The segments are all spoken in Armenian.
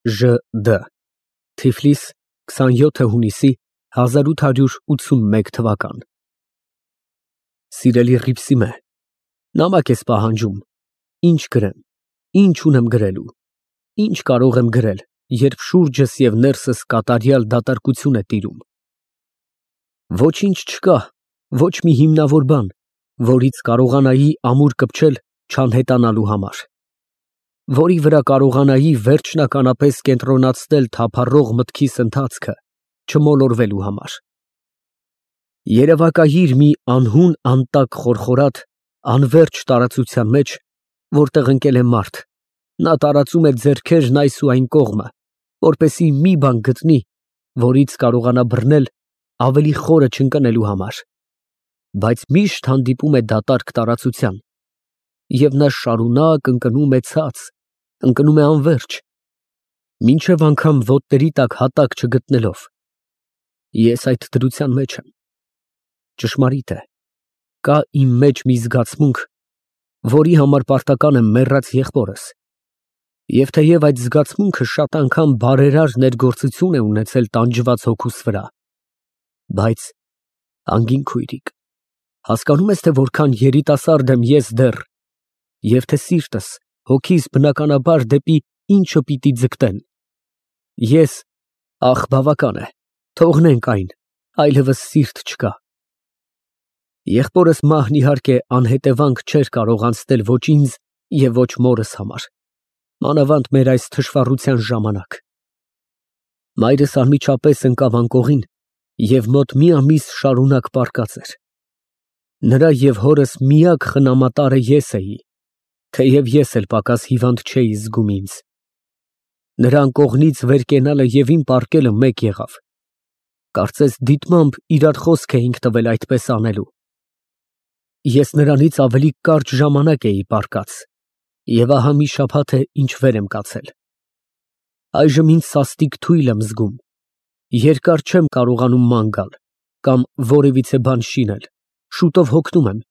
Ժ.Դ. Թիֆլիս 27 հունիսի 1881 թվական։ Սիրելի Հռիփսիմե, նամակ ես պահանջում, ինչ գրեմ, ինչ ունեմ գրելու, ինչ կարող եմ գրել, երբ շուրջս և ներսս կատարյալ դատարկություն է տիրում։ Ոչինչ չկա, ոչ մի հիմնավոր բան, որից կարողանայի ամուր կպչել չանհետանալու համար, որի վրա կարողանայի վերջնականապես կենտրոնացնել թափառող մտքիս ընթացքը չմոլորվելու համար։ Երևակայիր մի անհուն անտակ խորխորատ, անվերջ տարածության մեջ, որտեղ ընկել է մարդ, նա տարածում է ձեռքերն այս ու այն կողմը, որպեսզի մի բան գտնի, որից կարողանա բռնել ավելի խորը չընկնելու համար, բայց միշտ հանդիպում է դատարկ տարածության, և նա շարունակ ընկնում է ցած, ընկնում է անվերջ, մինչև անգամ ոտների տակ հատակ չգտնելով։ Ես այդ դրության մեջ եմ։ Ճշմարիտ է, կա իմ մեջ մի զգացմունք, որի համար պարտական եմ մեռած եղբորս, և թեև այդ զգացմունքը շատ անգամ բարերար ներգործություն է ունեցել տանջված հոգուս վրա, բայց, անգին քույրիկ, հասկանո՞ւմ ես, թե որքան երիտասարդ եմ ես դեռ, և թե սիրտս, հոգիս բնականաբար դեպի ինչը պիտի ձգտեն։ Ես, ախ, բավական է, թողնենք այն, այլևս սիրտ չկա։ Եղբորս մահն իհարկե անհետևանք չէր կարող անցնել ոչ ինձ և ոչ մորս համար, մանավանդ մեր այս թշվառության ժամանակ։ Մայրս անմիջապես ընկավ անկողին և մոտ մի ամիս շարունակ պառկած էր։ Նրա և հորս միակ խնամատարը ես էի, թեև ես էլ պակաս հիվանդ չէի զգում ինձ։ Նրա անկողնից վեր կենալը և իմ պառկելը մեկ եղավ։ Կարծես դիտմամբ իրար խոսք էինք տվել այդպես անելու։ Ես նրանից ավելի կարճ ժամանակ էի պառկած, և ահա մի շաբաթ է, ինչ վեր եմ կացել։ Այժմ ինձ սաստիկ թույլ եմ զգում, երկար չեմ կարողանում ման գալ, կամ որևիցե բան շինել, շուտով հոգնում եմ,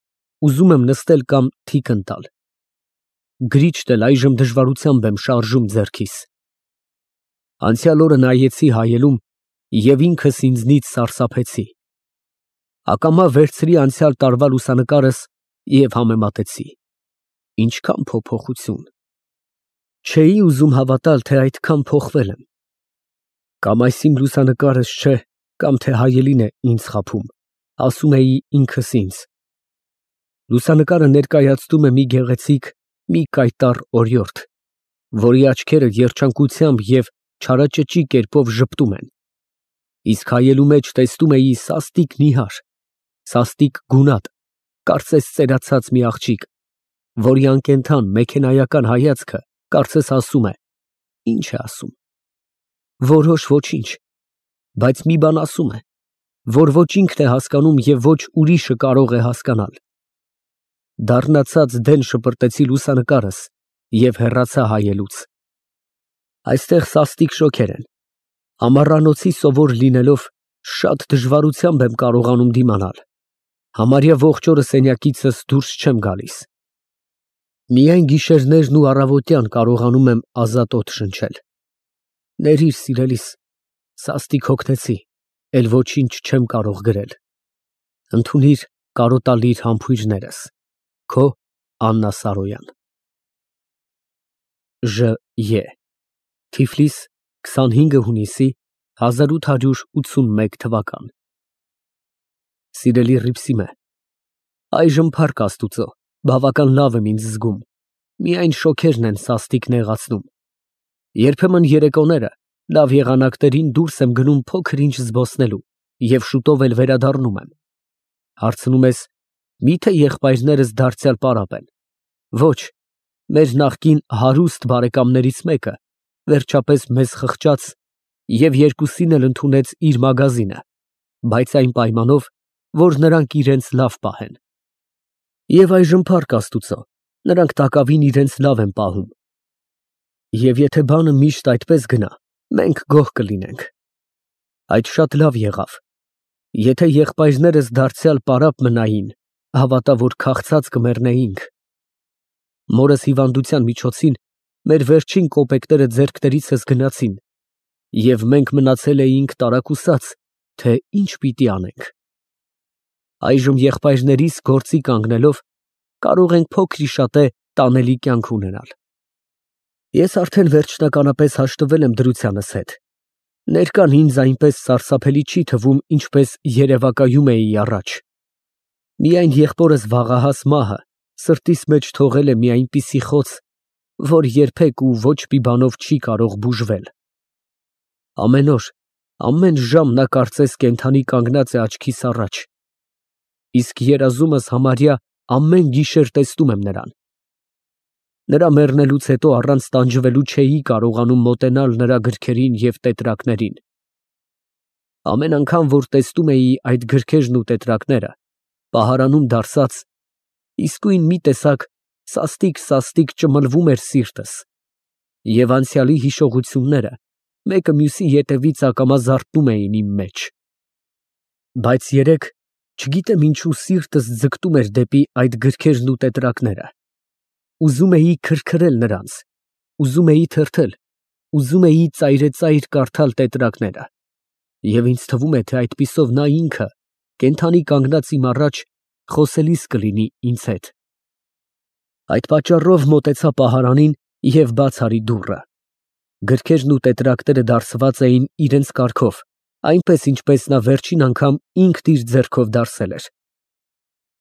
ուզում եմ նստել կամ թիկն տալ։ Գրիչն էլ այժմ դժվարությամբ եմ շարժում ձեռքիս։ Անցյալ օրը նայեցի հայելում և ինքս ինձնից սարսափեցի։ Ակամա վերցրի անցյալ տարվա լուսանկարս և համեմատեցի։ Ինչքան փոփոխություն։ Չէի ուզում հավատալ, թե այդքան փոխվել եմ։ Կամ այս իմ լուսանկարս չէ, կամ թե հայելին է ինձ խաբում, ասում էի ինքս ինձ։ Լուսանկարը ներկայացնում է մի գեղեցիկ, մի կայտառ օրիորդ, որի աչքերը երջանկությամբ և չարաճճի կերպով ժպտում են, իսկ հայելու մեջ տեսնում էի սաստիկ նիհար, սաստիկ գունատ, կարծես ծերացած մի աղջիկ, որի անկենդան մեքենայական հայացքը կարծես ասում է. ինչ է ասում, որոշ ոչինչ, բայց մի բան ասում է, որ ոչ ինքն է հասկանում և ոչ ուրիշը կարող է հասկանալ։ Դառնացած դեն շպրտեցի լուսանկարս և հեռացա հայելուց։ Այստեղ սաստիկ շոգեր են, ամառանոցի սովոր լինելով, շատ դժվարությամբ եմ կարողանում դիմանալ, համարյա ողջ օրը սենյակիցս դուրս չեմ գալիս։ Միայն գիշերներն ու առավոտյան կարողանում եմ ազատ օդ շնչել։ Ներիր, սիրելիս, սաստիկ հոգնեցի, էլ ոչինչ չեմ կարող գրել։ Ընդունիր կարոտալիր համբույրներս։ Քո Աննա Սարոյան։ Ժ.Ե. Թիֆլիս 25 հունիսի 1881 թվական։ Սիրելի Հռիփսիմե, այժմ փառք Աստուծո, բավական լավ եմ ինձ զգում, միայն շոգերն են սաստիկ նեղացնում։ Երբեմն երեկոները լավ եղանակներին դուրս եմ գնում փոքր ինչ զբոսնելու և շուտով էլ վերադառնում եմ։ Հարցնում ես, մի՞թե եղբայրներս դարձյալ պարապ են։ Ոչ, մեր նախկին հարուստ բարեկամներից մեկը վերջապես մեզ խղճաց և երկուսին էլ ընդունեց իր մագազինը, բայց այն պայմանով, որ նրանք իրենց լավ պահեն։ Եվ այժմ փառք Աստուծո, նրանք տակավին իրենց լավ են պահում։ Եվ եթե բանը միշտ այդպես գնա, մենք գոհ կլինենք։ Այդ շատ լավ եղավ։ Եթե եղբայրներս դարձյալ պարապ մնային, հավատա, որ քաղցած կմեռնեինք։ Մորս հիվանդության միջոցին մեր վերջին կոպեկները ձեռքներիցս գնացին, և մենք մնացել էինք տարակուսած, թե ինչ պիտի անենք։ Այժմ եղբայրներիս գործի կանգնելով, կարող ենք փոքր-ի-շատե տանելի կյանք ունենալ։ Ես արդեն վերջնականապես հաշտվել եմ դրությանս հետ։ Ներկան ինձ այնպես սարսափելի չի թվում, ինչպես երևակայում էի առաջ։ Միայն եղբորս վաղահաս մահը սրտիս մեջ թողել է մի այնպիսի խոց, որ երբեք ու ոչ մի բանով չի կարող բուժվել։ Ամեն օր, ամեն ժամ նա կարծես կենդանի կանգնած է աչքիս առաջ, իսկ երազումս համարյա ամեն գիշեր տեսնում եմ նրան։ Նրա մեռնելուց հետո առանց տանջվելու չէի կարողանում մոտենալ նրա գրքերին և տետրակներին։ Ամեն անգամ, որ տեսնում էի այդ գրքերն ու տետրակները, պահարանում դարսած, իսկույն մի տեսակ սաստիկ ճմլվում էր սիրտս, և անցյալի հիշողությունները մեկը մյուսի ետևից ակամա զարթնում էին իմ մեջ։ Բայց երեկ, չգիտեմ ինչու, սիրտս ձգտում էր դեպի այդ գրքերն ու տետրակները։ Ուզում էի քրքրել նրանց, ուզում էի թրթել, ուզում էի ծայրեծայր կարդալ տետրակները, և ինձ թվում է, թե այդպիսով նա ինքը, կենդանի կանգնած իմ առաջ, խոսելիս կլինի ինձ հետ։ Այդ պատճառով մոտեցա պահարանին և բաց արի դուռը։ Գրքերն ու տետրակները դարսված էին իրենց կարգով, այնպես ինչպես նա վերջին անգամ ինքն իր ձեռքով դարսել էր։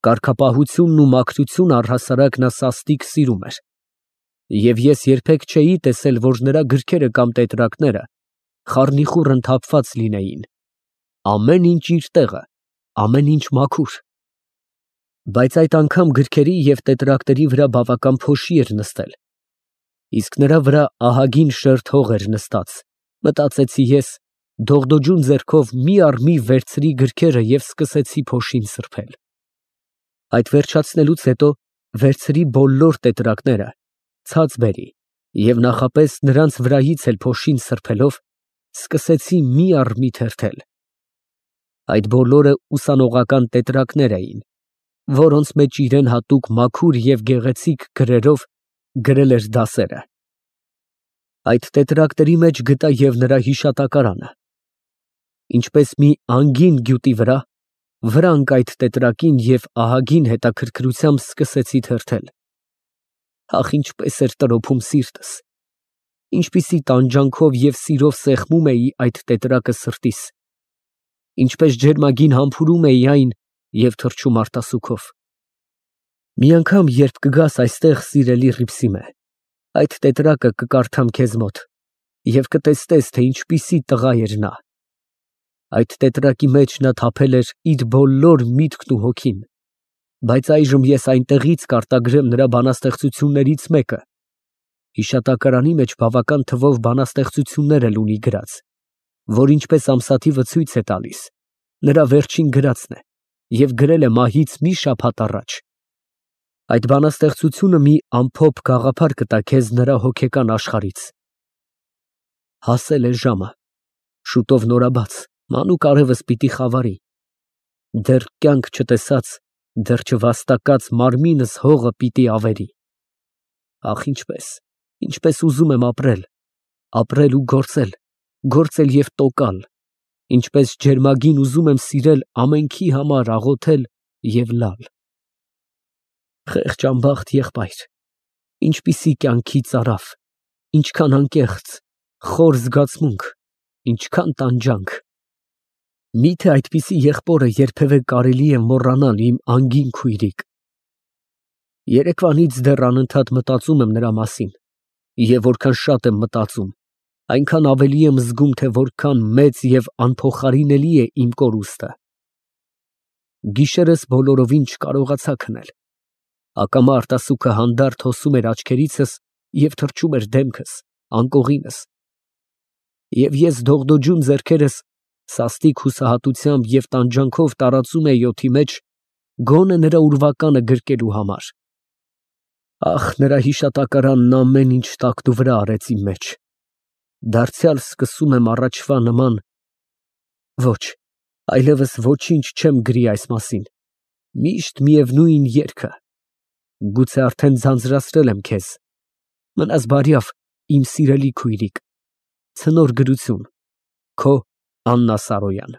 Կարգապահությունն ու մաքրությունը առհասարակ նա սաստիկ սիրում էր։ Եվ ես երբեք չէի տեսել, որ նրա գրքերը կամ տետրակները խառնիխուռն թափված լինեին։ Ամեն ինչ իր տեղը, ամեն ինչ մաքուր։ Բայց այդ անգամ գրքերի և տետրակների վրա բավական փոշի էր նստել, իսկ նրա վրա ահագին շերտ հող էր նստած, մտածեցի ես, դողդոջուն ձեռքով մի առ մի վերցրի գրքերը և սկսեցի փոշին սրբել։ Այդ վերջացնելուց հետո վերցրի բոլոր տետրակները, ցած բերի և նախապես նրանց վրայից էլ փոշին սրբելով, սկսեցի մի առ մի թերթել։ Այդ բոլորը ուսանողական տետրակներ էին, որոնց մեջ իրեն հատուկ մաքուր և գեղեցիկ գրերով գրել էր դասերը։ Այդ տետրակների մեջ գտա և նրա հիշատակարանը։ Ինչպես մի անգին գյուտի վրա ընկա այդ տետրակին և ահագին հետաքրքրությամբ սկսեցի թերթել։ Ախ, ինչպես էր տրոփում սիրտս, ինչպիսի տանջանքով և սիրով սեղմում էի այդ տետրակը սրտիս, ինչպես ջերմագին համբուրում էի այն և թռչում արտասուքով։ Մի անգամ, երբ կգաս այստեղ, սիրելի Հռիփսիմե, այդ տետրակը կկարդամ քեզ մոտ և կտեսնես, թե ինչպիսի տղա էր նա։ Այդ տետրակի մեջ նա թափել էր իր բոլոր միտքն ու հոգին, բայց այժմ ես այնտեղից կարտագրեմ նրա բանաստեղծություններից մեկը, հիշատակարանի մեջ բավական թվով բանաստեղծություններ էլ ունի գրած, որ ինչպես ամսաթիվը ցույց է տալիս, նրա վերջին գրածն է և գրել է մահից մի շաբաթ առաջ։ Այդ բանաստեղծությունը մի ամփոփ գաղափար կտա քեզ նրա հոգեկան աշխարհից։ Հասել է ժամը, շուտով նորաբաց, մանուկ արևս պիտի խավարի, դեռ կյանք չտեսած, դեռ չվաստակած մարմինս հողը պիտի ավերի։ Ախ, ինչպես ուզում եմ ապրել ու գործել և տոկալ, ինչպես ջերմագին ուզում եմ սիրել ամենքի համար աղոթել և լալ։ Խեղճ անբախտ եղբայր, ինչպիսի կյանքի ծարավ, ինչքան անկեղծ, խոր զգացմունք, ինչքան տանջանք։ Մի՞թե այդպիսի եղբորը երբևէ կարելի է մոռանալ, իմ անգին քույրիկ։ Երեկվանից դեռ անընդհատ մտածում եմ նրա մասին, և որքան շատ եմ մտածում, այնքան ավելի եմ զգում, թե որքան մեծ և անփոխարինելի է իմ կորուստը։ Գիշերս բոլորովին չկարողացա քնել։ Ակամա արտասուքը հանդարտ հոսում էր աչքերիցս և թռչում էր դեմքս, անկողինս։ Եվ ես դողդոջուն ձեռքերս սաստիկ հուսահատությամբ և տանջանքով տարածում էի օդի մեջ, գոնե նրա ուրվականը գրկելու համար։ Ախ, նրա հիշատակարանն ամեն ինչ տակնուվրա արեց իմ մեջ։ Դարձյալ սկսում եմ առաջվա նման… Ոչ, այլևս ոչինչ չեմ գրի այս մասին, միշտ միևնույն երգը, գուցե արդեն ձանձրացրել եմ քեզ, Մնաս բարյավ, իմ սիրելի քույրիկ, ցնոր գրություն, քո Աննա Սարոյան։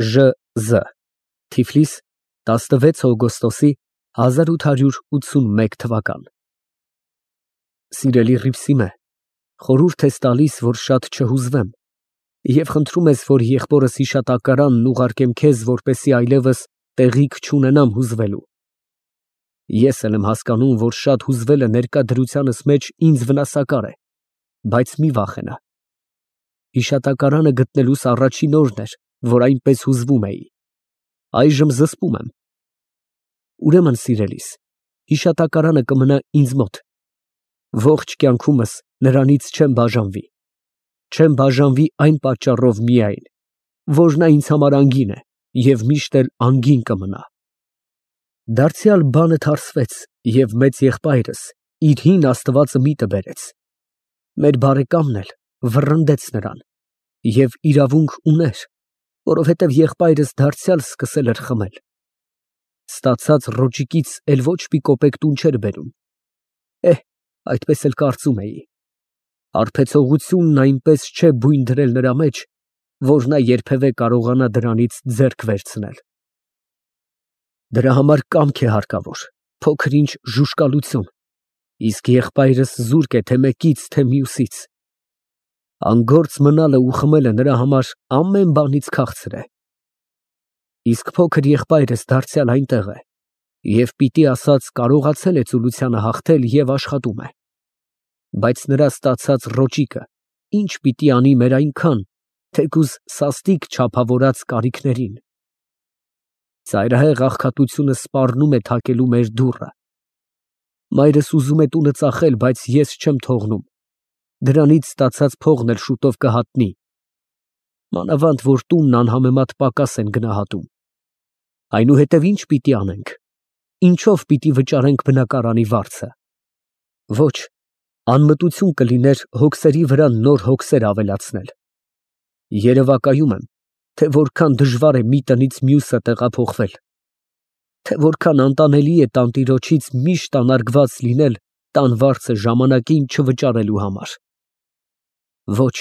Ժ. Թիֆլիս, 16 օգոստոսի 1881 թվական։ Սիրելի Ռիփսիմե, խորհուրդ ես տալիս, որ շատ չհուզվեմ, և խնդրում ես, որ եղբորս հիշատակարանն ուղարկեմ քեզ, որպեսզի այլևս տեղիք չունենամ հուզվելու։ Ես էլ եմ հասկանում, որ շատ հուզվելը ներկա դրությանս մեջ ինձ վնասակար է, բայց մի վախենա։ Հիշատակարանը գտնելուս առաջին օրն էր, որ այնպես հուզվում էի։ Այժմ զսպում եմ։ Ուրեմն, սիրելիս, հիշատակարանը կմնա ինձ մոտ։ Ողջ կյանքումս նրանից չեմ բաժանվի։ Չեմ բաժանվի այն պատճառով միայն, որ նա ինձ համար անգին է և միշտ էլ անգին կմնա։ Դարձյալ բանը թարսվեց, և մեծ եղբայրս իր հին աստվածը միտը բերեց։ Մեր բարեկամն էլ վռնդեց նրան, և իրավունք ուներ, որովհետև եղբայրս դարձյալ սկսել էր խմել։ Ստացած ռոճիկից էլ ոչ մի կոպեկ տուն չէր բերում։ Այդպես էլ կարծում էի։ Հարբեցողությունն այնպես չէ բույն դրել նրա մեջ, որ նա երբևէ կարողանա դրանից ձեռք վերցնել։ Դրա համար կամք է հարկավոր, փոքր֊ինչ ժուժկալություն, իսկ եղբայրս զուրկ է թե մեկից, թե մյուսից։ Անգործ մնալը ու խմելը նրա համար ամեն բանից քաղցր է։ Իսկ փոքր եղբայրս դարձյալ այնտեղ է և պիտի ասած կարողացել է ծուլությանը հաղթել և աշխատում է։ Բայց նրա ստացած ռոճիկը ինչ պիտի անի մեր այնքան, թեկուզ սաստիկ չափավորած կարիքներին։ Ծայրահեղ աղքատությունը սպառնում է թակելու մեր դուռը։ Մայրս ուզում է տունը ծախել, բայց ես չեմ թողնում։ Դրանից ստացած փողն էլ շուտով կհատնի։ Մանավանդ որ տունն անհամեմատ պակաս են գնահատում։ Այնուհետև ինչ պիտի անենք։ Ինչով պիտի վճարենք բնակարանի վարձը։ Ոչ, անմտություն կլիներ հոգսերի վրա նոր հոգսեր ավելացնել։ Երևակայում եմ, թե որքան դժվար է մի տնից մյուսը տեղափոխվել, թե որքան անտանելի է տանտիրոջից միշտ անարգված լինել տան վարձը ժամանակին չվճարելու համար։ Ոչ,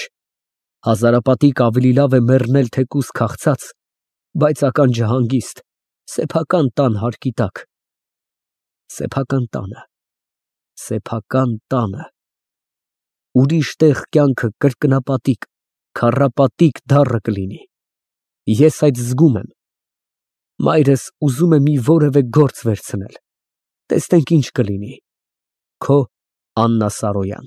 հազարապատիկ ավելի լավ է մեռնել թեկուզ քաղցած, բայց ականջահանգիստ, սեփական տան հարկի տակ։ Սեփական տանը, սեփական տանը։ Ուրիշ տեղ կյանքը կրկնապատիկ, քառապատիկ դառը կլինի։ Ես այդ զգում եմ։ Մայրս ուզում է մի որևէ գործ վերցնել։ Տեսնենք ինչ կլինի։ Քո Աննա Սարոյան։